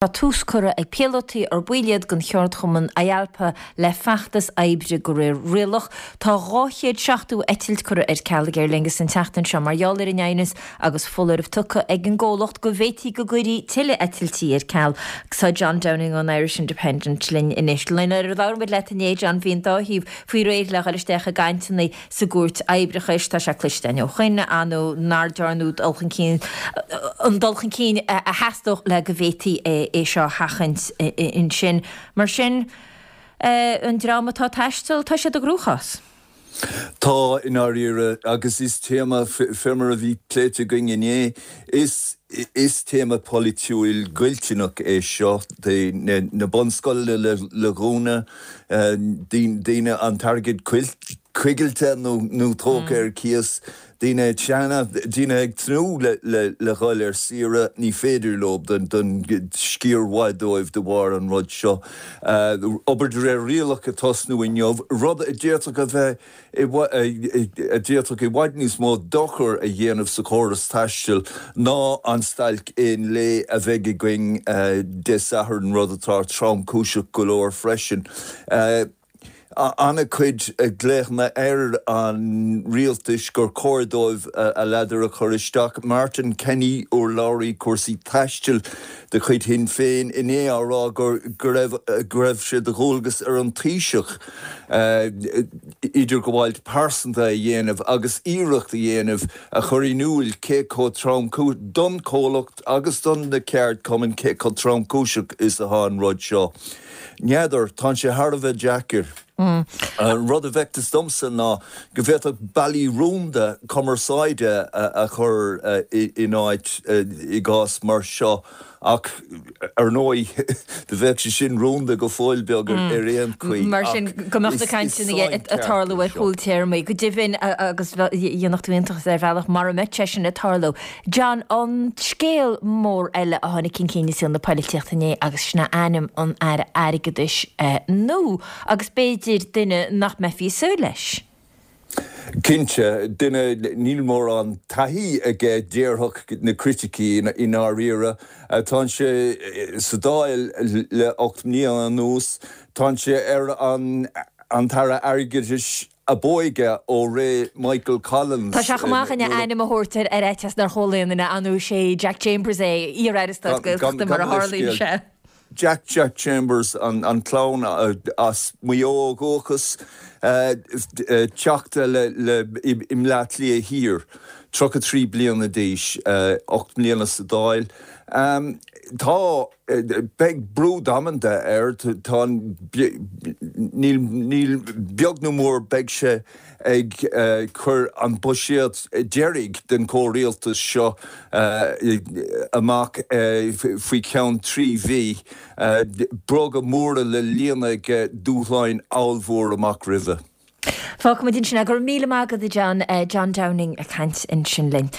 Tá tús curtha ag píolótaí ar baill iad den cheardchumann IALPA le feachtas oibre de réir rialach. Tá 270 eitilt curtha ar ceal ag Aer Lingus an tseachtain seo mar gheall ar an aighneas agus foláireamh tugtha ag an gcomhlacht go bhféadfaí go gcuirfí tuilleadh eitiltí ar ceal. Tá John Downing ón Irish Independent linn anois. Nuair a labhair muid leat inné, John, bhí an dá thaobh faoi réir le dhul isteach i gcainteanna sa gcúirt oibreachais. Tá sé cloiste againn ó shoin, ar ndóigh, nár dearnadh dul chun cinn, an dul chun cinn a theastódh le go bhféadfaí é seo a sheachaint ansin. Mar sin, an dream atá ag taisteal, tá siad i gcruachás. Tá, i ndáiríre, agus is téama, fé mar a bhí pléite againn inné, is is téama polaitiúil goilliúnach é seo. Na bunscoileanna le dhúnadh, daoine an t-airgead coigilte nó tógtha ar cíos, daoine seana, daoine ag tnúth le dhul ar saoire, ní féidir leo don sciar mhaith dóibh de bharr an rud seo. Obair de réir rialach ag tosnú inniu, rud a d'fhéadfadh a bheith a d'fhéadfadh i bhfad níos mó dochar a dhéanamh sa chóras taistil ná an stailc aon lae a bheidh againn Dé Sathairn, rud atá tromchúiseach go leor freisin. An-chuid glaochanna ar an rialtas gur chóir dóibh a ladar a chur isteach. Martin Kenny, urlabhraí cúrsaí taistil de chuid Shinn Féin, inné á rá go raibh go raibh sé de dhualgas ar an Taoiseach idirghabháil pearsanta a dhéanamh agus iarracht a dhéanamh a chur in iúil cé chomh tromchúiseach don chomhlacht agus don na ceardchumainn cé chomh tromchúiseach is atá an rud seo. N'fheadar, tá sé thar a bheith deacair. An rud a bhfeicteas domsa ná go bhféadfadh bealaí rúnda cumarsáide a chur in áit i gcás mar seo ach ar ndóigh do bheadh sé sin rúnda go fóill beag ar aon chaoi. Mar sin go mbeadh na cainteanna ag tarlú ar chúl téarmaí. Go deimhin agus dhéanfadh tú iontas ar bhealach mara mbeadh sé sin ag tarlú. John, an scéal mór eile a tháinig chun cinn i saol na poilitíochta inné agus sin é ainm an Aire Airgeadais nua agus b'fhéidir duine nach mbeifí ag súil leis. Cinnte, duine, níl mórán taithí aige déarfadh na criticí i ndáiríre. Tá sé sa Dáil le 8 mbliana anuas, tá sé ar an tAire Airgeadais ab óige ó ré Michael Collins. Tá sé chomh maith againn a ainm a thabhairt ar fhaitíos nár chuala aon duine, ar ndóigh is é Jack Chambers é, iar-aire stáit Gaeltachta mar a tharlaíonn sé. Jack Jack Chambers, an clann as Maigh Eo ó dhúchas, teachta le i mBleá Cliath Thiar, 33 bliana d'aois, 8 mbliana sa Dáil. Tá. Beidh brú damanta air, tá, níl, níl, beag nó mór beidh sé ag cur an buiséad deiridh den chomhrialtas seo amach faoi cheann 3 mhí. Bróga móra le líonadh aige, dúshláin ollmhór amach roimhe. Fágfaimid ansin é. Go raibh míle maith agat a John, John Downing ag caint ansin linn.